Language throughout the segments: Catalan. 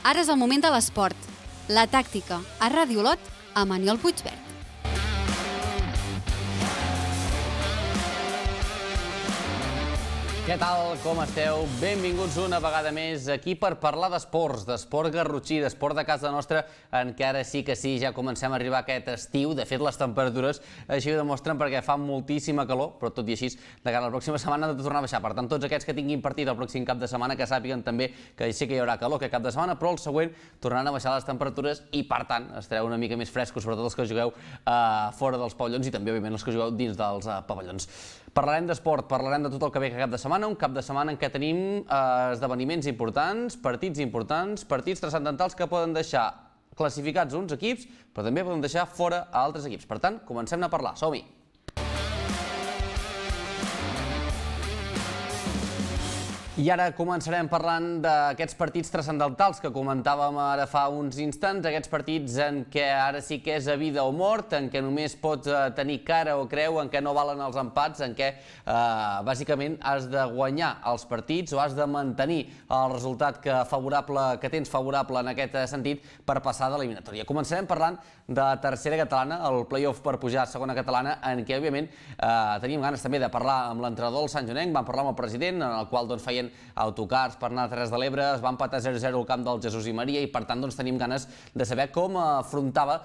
Ara és el moment de l'esport. La tàctica, a Ràdio Olot, amb Aniol Puigverd. Què tal, com esteu? Benvinguts una vegada més aquí per parlar d'esports, d'esport garrotxí, d'esport de casa nostra, en què ara sí que sí, ja comencem a arribar a aquest estiu. De fet, les temperatures així ho demostren perquè fa moltíssima calor, però tot i així, de cara a la pròxima setmana han de tornar a baixar. Per tant, tots aquests que tinguin partit el pròxim cap de setmana, que sàpiguen també que sí que hi haurà calor aquest cap de setmana, però el següent tornaran a baixar les temperatures i, per tant, estareu una mica més frescos, sobretot els que jugueu fora dels pavellons i també, òbviament, els que jugueu dins dels pavellons. Parlarem d'esport, parlarem de tot el que ve aquest cap de setmana, un cap de setmana en què tenim esdeveniments importants, partits transcendentals que poden deixar classificats uns equips, però també poden deixar fora a altres equips. Per tant, comencem a parlar. Som-hi! I ara començarem parlant d'aquests partits transcendentals que comentàvem ara fa uns instants, aquests partits en què ara sí que és a vida o mort, en què només pots tenir cara o creu, en què no valen els empats, en què bàsicament has de guanyar els partits o has de mantenir el resultat que tens favorable en aquest sentit per passar de l'eliminatòria. Començarem parlant de la tercera catalana, el play-off per pujar a segona catalana, en què òbviament teníem ganes també de parlar amb l'entrenador del Sant Joanenc, vam parlar amb el president, en el qual feien autocars per anar a Terres de l'Ebre, es va empatar 0-0 al camp del Jesús i Maria i per tant tenim ganes de saber com afrontava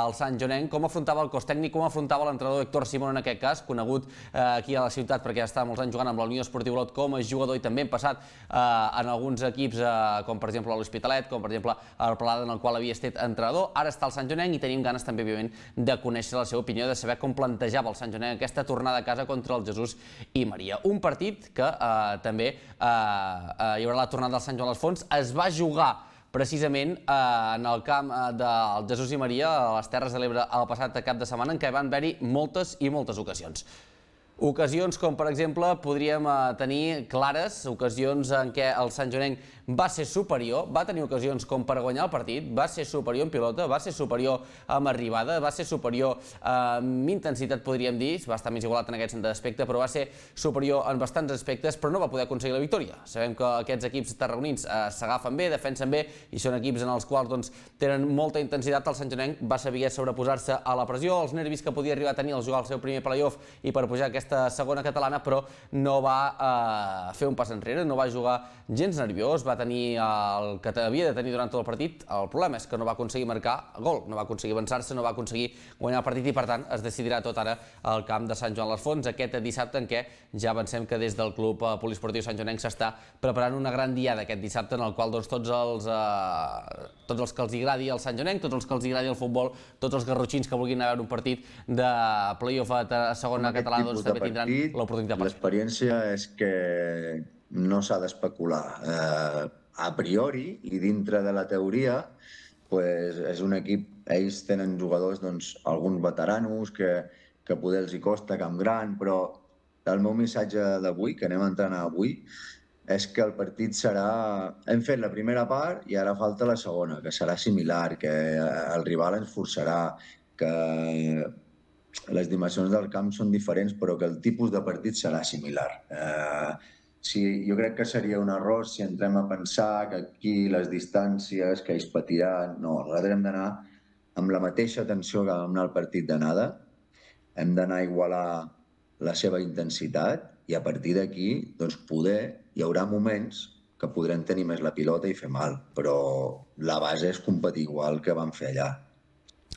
el Sant Joanenc, com afrontava el cos tècnic, com afrontava l'entrenador Héctor Simón en aquest cas, conegut aquí a la ciutat perquè ja està molts anys jugant amb la Unió Esportiva Olot com a jugador i també hem passat en alguns equips com per exemple l'Hospitalet, com per exemple el Palada en el qual havia estat entrenador, ara està al Sant Joanenc i tenim ganes també òbviament de conèixer la seva opinió, de saber com plantejava el Sant Joanenc aquesta tornada a casa contra el Jesús i Maria. Un partit que també hi haurà la tornada del Sant Joan a les Fonts, es va jugar precisament en el camp del Jesús i Maria, a les Terres de l'Ebre, el passat cap de setmana, en què van haver-hi moltes i moltes ocasions. Ocasions com, per exemple, podríem tenir clares, ocasions en què el Sant Joanenc va ser superior, va tenir ocasions com per guanyar el partit, va ser superior en pilota, va ser superior amb arribada, va ser superior amb intensitat, podríem dir, va estar més igualat en aquest aspecte, però va ser superior en bastants aspectes, però no va poder aconseguir la victòria. Sabem que aquests equips tarragonins s'agafen bé, defensen bé, i són equips en els quals tenen molta intensitat. El Sant Joanenc va saber sobreposar-se a la pressió, als nervis que podia arribar a tenir al jugar el seu primer play-off i per pujar aquesta segona catalana, però no va fer un pas enrere, no va jugar gens nerviós, va tenir el que havia de tenir durant tot el partit. El problema és que no va aconseguir marcar gol, no va aconseguir avançar-se, no va aconseguir guanyar el partit i per tant es decidirà tot ara al camp de Sant Joan a les Fonts aquest dissabte, en què ja avancem que des del Club Poliesportiu Sant Joanenc s'està preparant una gran diada aquest dissabte en el qual tots els que els agradi el Sant Joanenc, tots els que els agradi el futbol, tots els garrotxins que vulguin anar a veure un partit de play-off a segona catalana també tindran l'oportunitat. L'experiència és que no s'ha d'especular. A priori, i dintre de la teoria, és un equip, ells tenen jugadors, alguns veteranos, que poder els hi costa camp gran, però el meu missatge d'avui, que anem a entrenar avui, és que el partit serà... Hem fet la primera part i ara falta la segona, que serà similar, que el rival ens forçarà, que les dimensions del camp són diferents, però que el tipus de partit serà similar. Jo crec que seria un error si entrem a pensar que aquí les distàncies, que ells patiran... No, nosaltres hem d'anar amb la mateixa tensió que vam anar al partit d'anada, hem d'anar a igualar la seva intensitat i a partir d'aquí, poder, hi haurà moments que podrem tenir més la pilota i fer mal, però la base és competir igual que vam fer allà.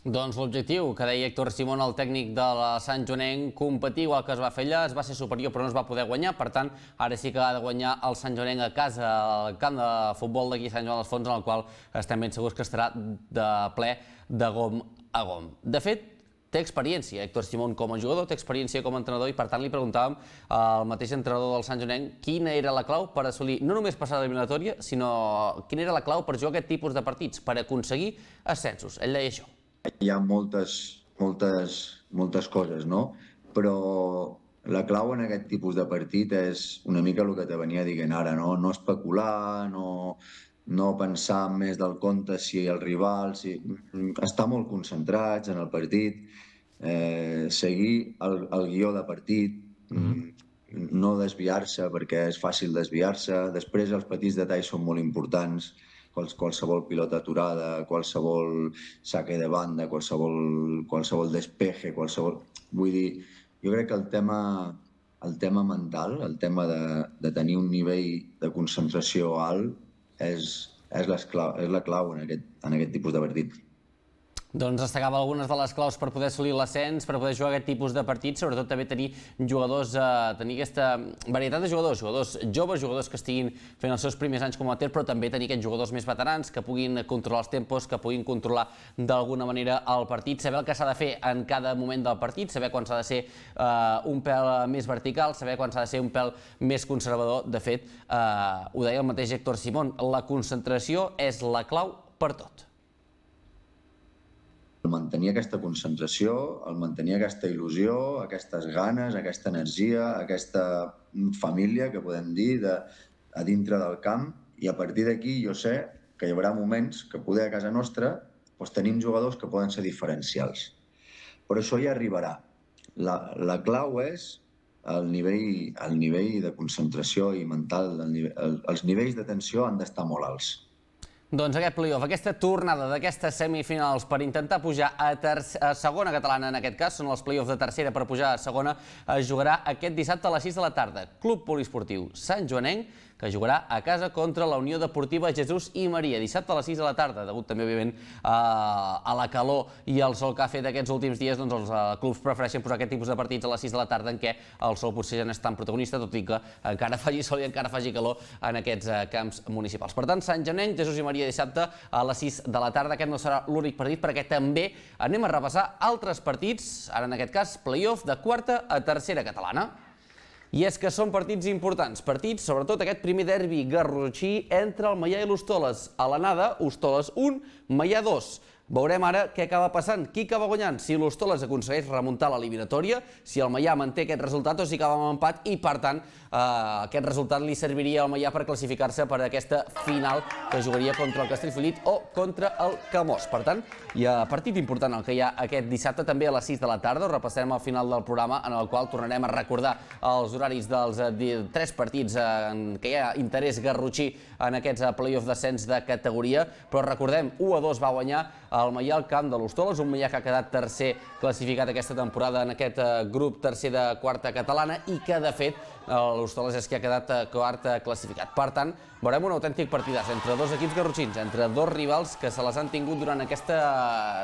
Doncs l'objectiu que deia Héctor Simón, el tècnic de la Sant Joanenc, competir igual que es va fer allà, es va ser superior però no es va poder guanyar, per tant ara sí que ha de guanyar el Sant Joanenc a casa, al camp de futbol d'aquí Sant Joan a les Fonts, en el qual estem ben segurs que estarà de ple de gom a gom. De fet, té experiència Héctor Simón com a jugador, té experiència com a entrenador i per tant li preguntàvem al mateix entrenador del Sant Joanenc quina era la clau per assolir no només passar l'eliminatòria, sinó quina era la clau per jugar aquest tipus de partits, per aconseguir ascensos. Ell deia això. Hi ha moltes coses, no? Però la clau en aquest tipus de partit és una mica el que te venia dient ara, no? No especular, no pensar més del compte si el rival... Estar molt concentrats en el partit, seguir el guió de partit, no desviar-se perquè és fàcil desviar-se. Després els petits detalls són molt importants, qualsevol pilota aturada, qualsevol saque de banda, qualsevol despeje, Vull dir, jo crec que el tema mental, el tema de tenir un nivell de concentració alt és la clau en aquest tipus de partit. Doncs destacava algunes de les claus per poder assolir l'ascens, per poder jugar aquest tipus de partits, sobretot també tenir jugadors, tenir aquesta varietat de jugadors joves, jugadors que estiguin fent els seus primers anys com a amateur, però també tenir aquests jugadors més veterans que puguin controlar els tempos, que puguin controlar d'alguna manera el partit, saber el que s'ha de fer en cada moment del partit, saber quan s'ha de ser un pèl més vertical, saber quan s'ha de ser un pèl més conservador. De fet, ho deia el mateix Héctor Simón, la concentració és la clau per tot. El mantenir aquesta concentració, el mantenir aquesta il·lusió, aquestes ganes, aquesta energia, aquesta família, que podem dir, a dintre del camp, i a partir d'aquí jo sé que hi haurà moments que poder a casa nostra tenim jugadors que poden ser diferencials. Però això ja arribarà. La clau és el nivell de concentració i mental, els nivells de tensió han d'estar molt alts. Doncs aquest play-off, aquesta tornada d'aquestes semifinals per intentar pujar a segona catalana, en aquest cas, són els play-offs de tercera per pujar a segona, es jugarà aquest dissabte a les 6 de la tarda. Club Poliesportiu Sant Joanenc, que jugarà a casa contra la Unió Deportiva Jesús i Maria, dissabte a les 6 de la tarda, degut també, òbviament, a la calor i al sol que ha fet aquests últims dies, doncs els clubs prefereixen posar aquest tipus de partits a les 6 de la tarda en què el sol potser ja no és tan protagonista, tot i que encara faci sol i encara faci calor en aquests camps municipals. Per tant, Sant Joanenc, Jesús i Maria dissabte a les 6 de la tarda. Aquest no serà l'únic partit perquè també anem a repassar altres partits, ara en aquest cas play-off de quarta a tercera catalana. I és que són partits importants, partits, sobretot aquest primer derbi garrotxí entre el Maià i l'Hostoles. A l'anada, Hostoles 1, Maià 2. Veurem ara què acaba passant, qui acaba guanyant, si l'Hostoles aconsegueix remuntar l'eliminatòria, si el Maià manté aquest resultat o si acaba amb empat i, per tant, aquest resultat li serviria al Maià per classificar-se per aquesta final que jugaria contra el Castellfollit o contra el Camós. Per tant, hi ha partit important el que hi ha aquest dissabte, també a les 6 de la tarda. Ho repassarem al final del programa, en el qual tornarem a recordar els horaris dels 3 partits en què hi ha interès garrotxí en aquests play-off d'ascens de categoria, però recordem, 1-2 va guanyar el Maià al camp de l'Hostoles, un Maià que ha quedat tercer classificat aquesta temporada en aquest grup tercer de quarta catalana i que, de fet, l'Hostoles és qui ha quedat quart classificat. Per tant, veurem un autèntic partidàs entre dos equips garrotxins, entre dos rivals que se les han tingut durant aquesta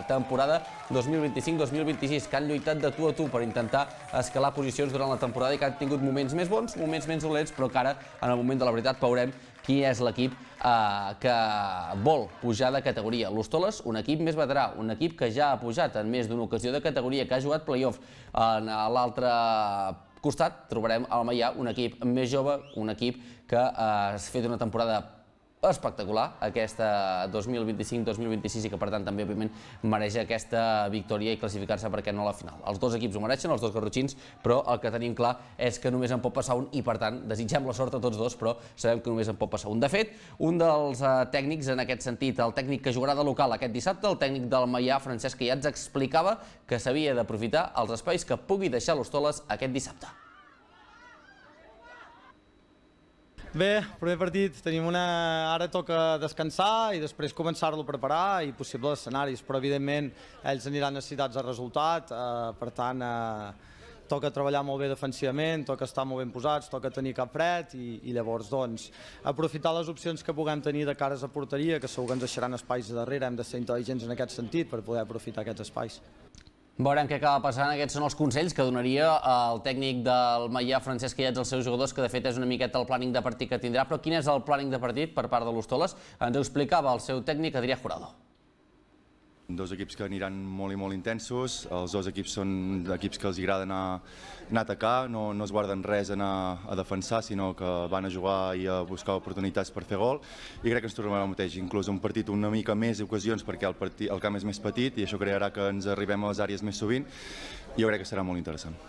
temporada 2025-2026, que han lluitat de tu a tu per intentar escalar posicions durant la temporada i que han tingut moments més bons, moments menys dolents, però que ara, en el moment de la veritat, veurem qui és l'equip que vol pujar de categoria. L'Hostoles, un equip més veterà, un equip que ja ha pujat en més d'una ocasió de categoria, que ha jugat play-off. En l'altre costat trobarem el Maià, un equip més jove, un equip que ha fet una temporada espectacular, aquesta 2025-2026, i que per tant també òbviament mereix aquesta victòria i classificar-se, perquè no a la final. Els dos equips ho mereixen, els dos garrotxins, però el que tenim clar és que només en pot passar un i per tant desitgem la sort a tots dos, però sabem que només en pot passar un. De fet, un dels tècnics en aquest sentit, el tècnic que jugarà de local aquest dissabte, el tècnic del Maià, Francesc Quillats, explicava que s'havia d'aprofitar els espais que pugui deixar l'Hostoles aquest dissabte. Bé, primer partit, ara toca descansar i després començar-lo a preparar i possibles escenaris, però evidentment ells aniran necessitats de resultat, per tant toca treballar molt bé defensivament, toca estar molt ben posats, toca tenir cap fred i llavors doncs aprofitar les opcions que puguem tenir de cares a porteria, que segur que ens deixaran espais a darrere, hem de ser intel·ligents en aquest sentit per poder aprofitar aquests espais. Veurem què acaba passant. Aquests són els consells que donaria el tècnic del Maià, Francesc Quillats, als seus jugadors, que de fet és una miqueta el plàning de partit que tindrà. Però quin és el plàning de partit per part de l'Hostoles? Ens ho explicava el seu tècnic, Adrià Jurado. Dos equips que aniran molt i molt intensos, els dos equips són equips que els agrada anar a atacar, no es guarden res a anar a defensar, sinó que van a jugar i a buscar oportunitats per fer gol, i crec que ens tornarà el mateix, inclús un partit una mica més d'ocasions perquè el camp és més petit i això crearà que ens arribem a les àrees més sovint i jo crec que serà molt interessant.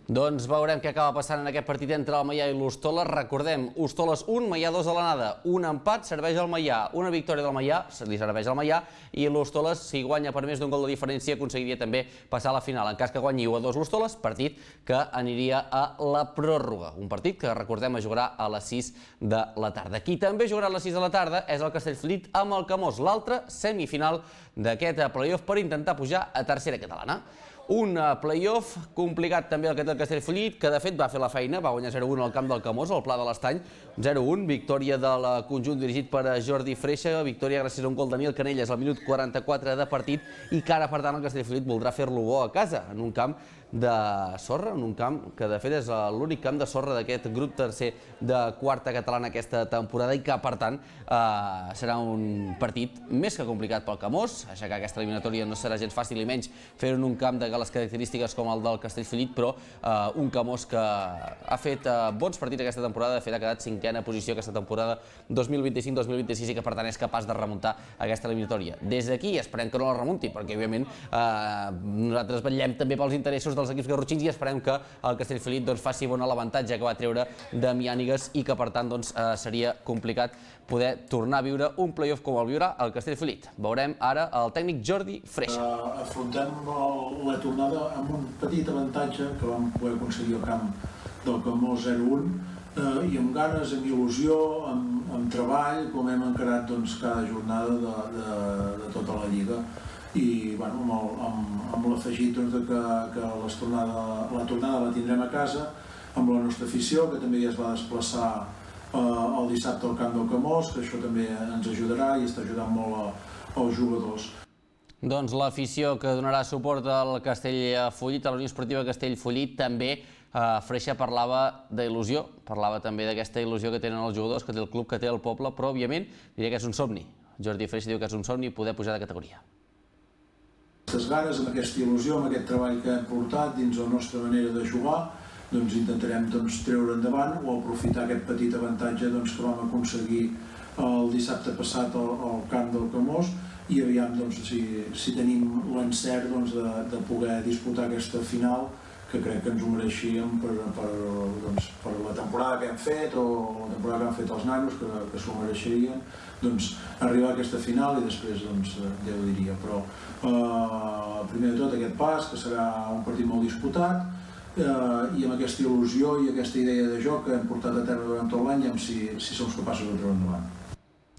Doncs veurem què acaba passant en aquest partit entre el Maià i l'Hostoles. Recordem, Hostoles 1, Maià 2 a l'anada. Un empat serveix al Maià, una victòria del Maià li serveix al Maià, i l'Hostoles, si guanya per més d'un gol de diferència, aconseguiria també passar a la final. En cas que guanyi 1-2 l'Hostoles, partit que aniria a la pròrroga. Un partit que, recordem, es jugarà a les 6 de la tarda. Qui també jugarà a les 6 de la tarda és el Castellfollit amb el Camós, l'altra semifinal d'aquest play-off per intentar pujar a tercera catalana. Un play-off complicat també el que té el Castellfollit, que de fet va fer la feina, va guanyar 0-1 al camp del Camós, al Pla de l'Estany, 0-1, victòria del conjunt dirigit per Jordi Freixa, victòria gràcies a un gol de Daniel Canelles al minut 44 de partit, i que ara, per tant, el Castellfollit voldrà fer-lo bo a casa, en un camp de sorra, en un camp que de fet és l'únic camp de sorra d'aquest grup tercer de quarta catalana aquesta temporada, i que per tant serà un partit més que complicat pel Camós. Aixecar aquesta eliminatòria no serà gens fàcil, i menys fer-ho en un camp de les característiques com el del Castellfollit, però un Camós que ha fet bons partits aquesta temporada, de fet ha quedat cinquena posició aquesta temporada 2025-2026, i que per tant és capaç de remuntar aquesta eliminatòria. Des d'aquí esperem que no la remunti, perquè òbviament nosaltres vetllem també pels interessos dels equips garrotxins, i esperem que el Castellfollit faci bona l'avantatge que va treure de Miànigues, i que per tant seria complicat poder tornar a viure un play-off com el viurà el Castellfollit. Veurem ara el tècnic Jordi Freixa. Afrontem la tornada amb un petit avantatge que vam poder aconseguir al camp del Camós 0-1, i amb ganes, amb il·lusió, amb treball, com hem encarat cada jornada de tota la Lliga. I amb l'afegit que la tornada la tindrem a casa, amb la nostra afició, que també ja es va desplaçar el dissabte al camp del Camós, que això també ens ajudarà i està ajudant molt als jugadors. Doncs l'afició que donarà suport al Castellfollit, a la Unió Esportiva Castellfollit, també Freixa parlava d'il·lusió, parlava també d'aquesta il·lusió que tenen els jugadors, que té el club, que té el poble, però òbviament diria que és un somni. Jordi Freixa diu que és un somni poder pujar de categoria. Aquestes ganes, amb aquesta il·lusió, amb aquest treball que hem portat dins la nostra manera de jugar, intentarem treure endavant o aprofitar aquest petit avantatge que vam aconseguir el dissabte passat al camp del Camós, i aviam si tenim l'encert de poder disputar aquesta final, que crec que ens ho mereixíem per la temporada que hem fet o la temporada que han fet els nanos, que s'ho mereixerien, arribar a aquesta final, i després Déu diria. Però primer de tot aquest pas, que serà un partit molt disputat, i amb aquesta il·lusió i aquesta idea de joc que hem portat a terme durant tot l'any, si som capaços de treure endavant.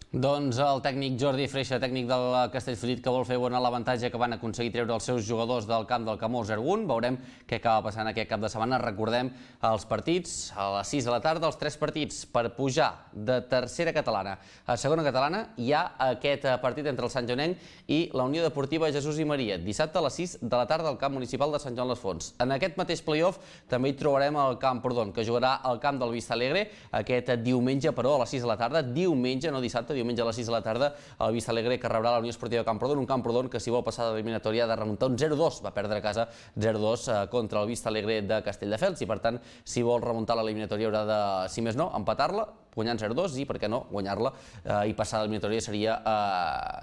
Doncs el tècnic Jordi Freixa, tècnic del Castellfollit, que vol fer bona l'avantatge que van aconseguir treure els seus jugadors del camp del Camós 0-1. Veurem què acaba passant aquest cap de setmana. Recordem els partits a les 6 de la tarda, els 3 partits per pujar de tercera catalana a segona catalana. Hi ha aquest partit entre el Sant Joanenc i la Unió Deportiva Jesús i Maria, dissabte a les 6 de la tarda al camp municipal de Sant Joan les Fonts. En aquest mateix play-off també hi trobarem el Camprodon, que jugarà al camp del Vista Alegre aquest diumenge, però a les 6 de la tarda, diumenge, no dissabte, diumenge a les 6 de la tarda, el Vista Alegre, que rebrà la Unió Esportiva Camprodon, un Camprodon que, si vol passar de l'eliminatòria, ha de remuntar un 0-2, va perdre a casa 0-2 contra el Vista Alegre de Castelldefels, i per tant, si vol remuntar l'eliminatòria haurà de, si més no, empatar-la, guanyant 0-2, i per què no, guanyar-la i passar l'eliminatòria seria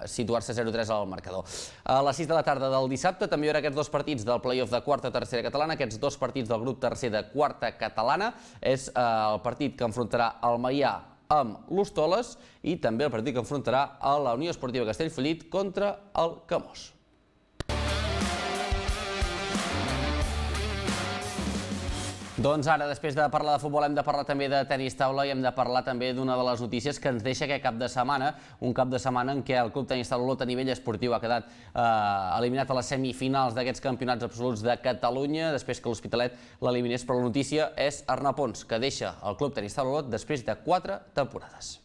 situar-se 0-3 al marcador. A les 6 de la tarda del dissabte també hi haurà aquests dos partits del play-off de quarta tercera catalana, aquests dos partits del grup tercer de quarta catalana. És el partit que enfrontarà el Maià amb l'Hostoles, i també el partit que enfrontarà a la Unió Esportiva Castellfollit contra el Camós. Doncs ara, després de parlar de futbol, hem de parlar també de tenis taula, i hem de parlar també d'una de les notícies que ens deixa aquest cap de setmana, un cap de setmana en què el Club Tenis Taula Olot a nivell esportiu ha quedat eliminat a les semifinals d'aquests campionats absoluts de Catalunya, després que l'Hospitalet l'eliminés, però la notícia és Arnau Pons, que deixa el Club Tenis Taula Olot després de 4 temporades.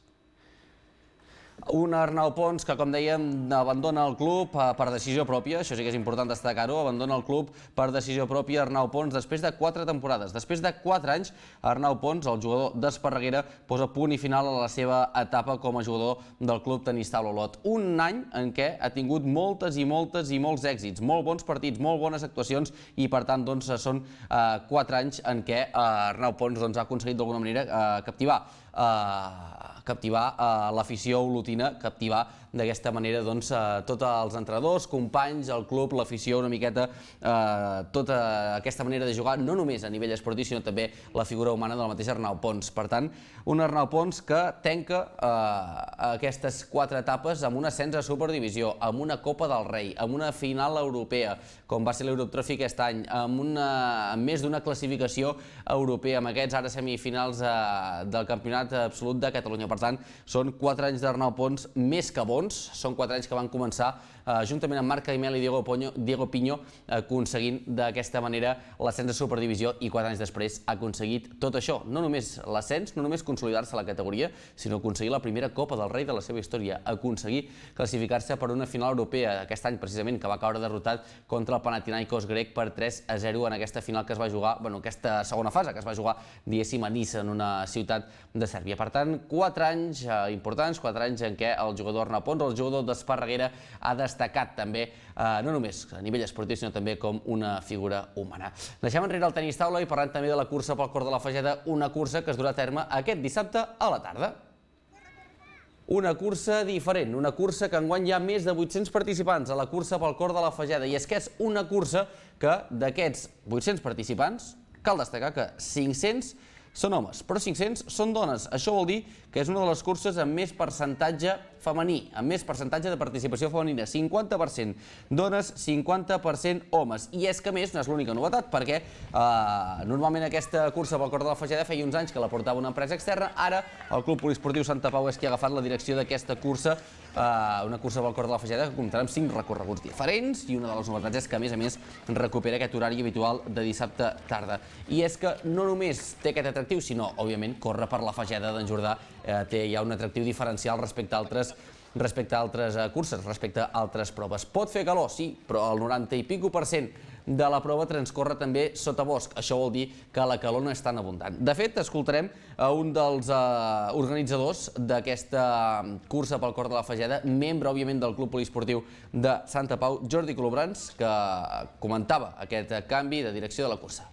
Un Arnau Pons que, com dèiem, abandona el club per decisió pròpia, això sí que és important destacar-ho, abandona el club per decisió pròpia Arnau Pons després de 4 temporades. Després de 4 anys, Arnau Pons, el jugador d'Esparreguera, posa punt i final a la seva etapa com a jugador del Club Tenis Taula Olot. Un any en què ha tingut molts èxits, molt bons partits, molt bones actuacions, i per tant són 4 anys en què Arnau Pons ha aconseguit d'alguna manera captivar l'afició olotina, captivar d'aquesta manera tots els entrenadors, companys, el club, l'afició, una miqueta tota aquesta manera de jugar, no només a nivell esportiu, sinó també la figura humana del mateix Arnau Pons. Per tant, un Arnau Pons que tanca aquestes 4 etapes amb un ascens a Superdivisió, amb una Copa del Rei, amb una final europea, com va ser l'Europe Trophy aquest any, amb més d'una classificació europea, amb aquests ara semifinals del Campionat Absolut de Catalunya. Per tant, són 4 anys d'Arnau Pons més que bons, són 4 anys que van començar juntament amb Marc Caimel i Diego Piño, aconseguint d'aquesta manera l'ascens a Superdivisió, i 4 anys després ha aconseguit tot això. No només l'ascens, no només consolidar-se a la categoria, sinó aconseguir la primera Copa del Rei de la seva història, aconseguir classificar-se per una final europea aquest any, precisament, que va caure derrotat contra el Panathinaikos grec per 3-0 en aquesta final que es va jugar, aquesta segona fase que es va jugar, diguéssim, a Niça, en una ciutat de Sèrbia. Per tant, 4 anys importants, 4 anys en què el jugador Arnau Pons, el jugador d'Esparreguera, ha destacat també, no només a nivell esportiu, sinó també com una figura humana. Deixem enrere el tenis taula i parlem també de la cursa pel cor de la Fageda, una cursa que es durà a terme aquest dissabte a la tarda. Una cursa diferent, una cursa que enguany hi ha més de 800 participants a la cursa pel cor de la Fageda, i és que és una cursa que d'aquests 800 participants cal destacar que 500 són homes, però 500 són dones. Això vol dir que és una de les curses amb més percentatge femení, amb més percentatge de participació femenina, 50% dones, 50% homes. I és que, a més, no és l'única novetat, perquè normalment aquesta cursa pel cor de la Fageda feia uns anys que la portava una empresa externa, ara el Club Poliesportiu Santa Pau és qui ha agafat la direcció d'aquesta cursa, una cursa pel cor de la Fageda que comptarà amb 5 recorreguts diferents, i una de les novetats és que, a més, recupera aquest horari habitual de dissabte tarda. I és que no només té aquest atractiu, sinó, òbviament, córrer per la Fageda d'en Jordà té ja un atractiu diferencial respecte a altres curses, respecte a altres proves. Pot fer calor, sí, però el 90 i pico % de la prova transcorre també sota bosc. Això vol dir que la calor no és tan abundant. De fet, escoltarem a un dels organitzadors d'aquesta cursa pel cor de la Fageda, membre, òbviament, del Club Poliesportiu de Santa Pau, Jordi Colobrans, que comentava aquest canvi de direcció de la cursa.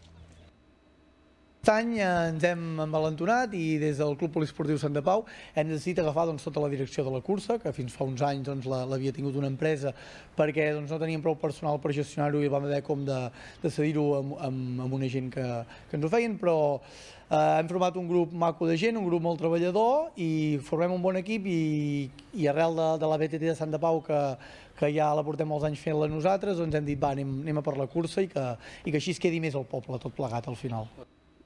Aquest any ens hem envalentonat i des del Club Poliesportiu Santa Pau hem decidit agafar tota la direcció de la cursa, que fins fa uns anys l'havia tingut una empresa perquè no teníem prou personal per gestionar-ho i vam haver com de cedir-ho amb una gent que ens ho feien, però hem format un grup maco de gent, un grup molt treballador, i formem un bon equip, i arrel de la BTT de Santa Pau, que ja la portem molts anys fent-la nosaltres, doncs hem dit, va, anem a per la cursa i que així es quedi més el poble, tot plegat al final.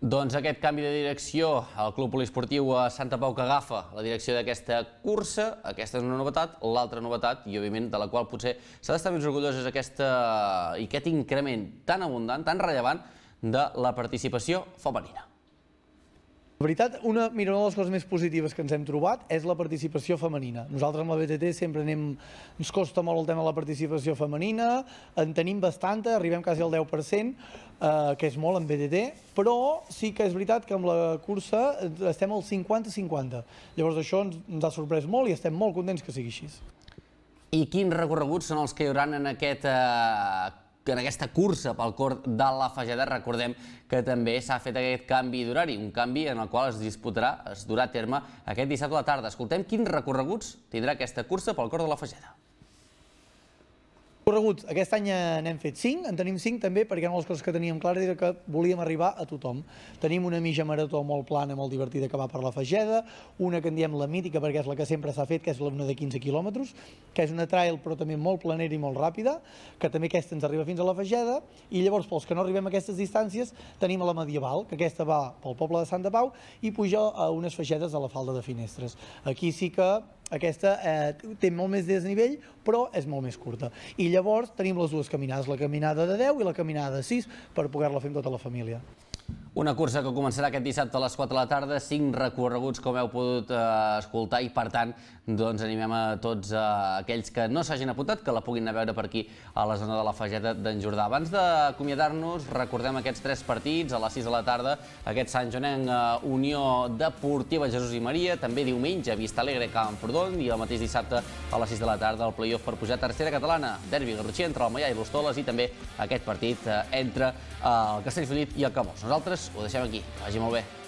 Doncs aquest canvi de direcció al Club Poliesportiu a Santa Pau, que agafa la direcció d'aquesta cursa, aquesta és una novetat. L'altra novetat, i òbviament de la qual potser s'ha d'estar més orgullós, és aquest increment tan abundant, tan rellevant, de la participació femenina. La veritat, una de les coses més positives que ens hem trobat és la participació femenina. Nosaltres amb la BTT sempre ens costa molt el tema de la participació femenina, en tenim bastanta, arribem quasi al 10%, que és molt en BTT, però sí que és veritat que amb la cursa estem al 50-50. Llavors això ens ha sorprès molt i estem molt contents que sigui així. I quins recorreguts són els que hi haurà en aquesta cursa pel cor de la Fageda? Recordem que també s'ha fet aquest canvi d'horari, un canvi en el qual es durà a terme aquest dissabte a la tarda. Escoltem quins recorreguts tindrà aquesta cursa pel cor de la Fageda. Correguts, aquest any n'hem fet 5, en tenim 5 també perquè una de les coses que teníem clares era que volíem arribar a tothom. Tenim una mitja marató molt plana, molt divertida, que va per la Fageda, una que en diem la mítica perquè és la que sempre s'ha fet, que és una de 15 quilòmetres, que és una trail però també molt planera i molt ràpida, que també aquesta ens arriba fins a la Fageda, i llavors pels que no arribem a aquestes distàncies tenim la medieval, que aquesta va pel poble de Santa Pau i puja a unes fagedes a la falda de Finestres. Aquí sí que aquesta té molt més desnivell, però és molt més curta. I llavors tenim les dues caminades, la caminada de 10 i la caminada de 6, per poder-la fer amb tota la família. Una cursa que començarà aquest dissabte a les 4 de la tarda, 5 recorreguts, com heu pogut escoltar, i per tant animem a tots aquells que no s'hagin apuntat, que la puguin anar a veure per aquí a la zona de la Fageda d'en Jordà. Abans d'acomiadar-nos, recordem aquests 3 partits a les 6 de la tarda, aquest Sant Joanenc Unió Deportiva Jesús i Maria, també diumenge Vista Alegre Camprodon, i el mateix dissabte a les 6 de la tarda el play-off per pujar a tercera catalana, derbi garrotxí entre el Maià i l'Hostoles, i també aquest partit entre el Castellfollit i el Camós. Nosaltres ho deixem aquí. Que vagi molt bé.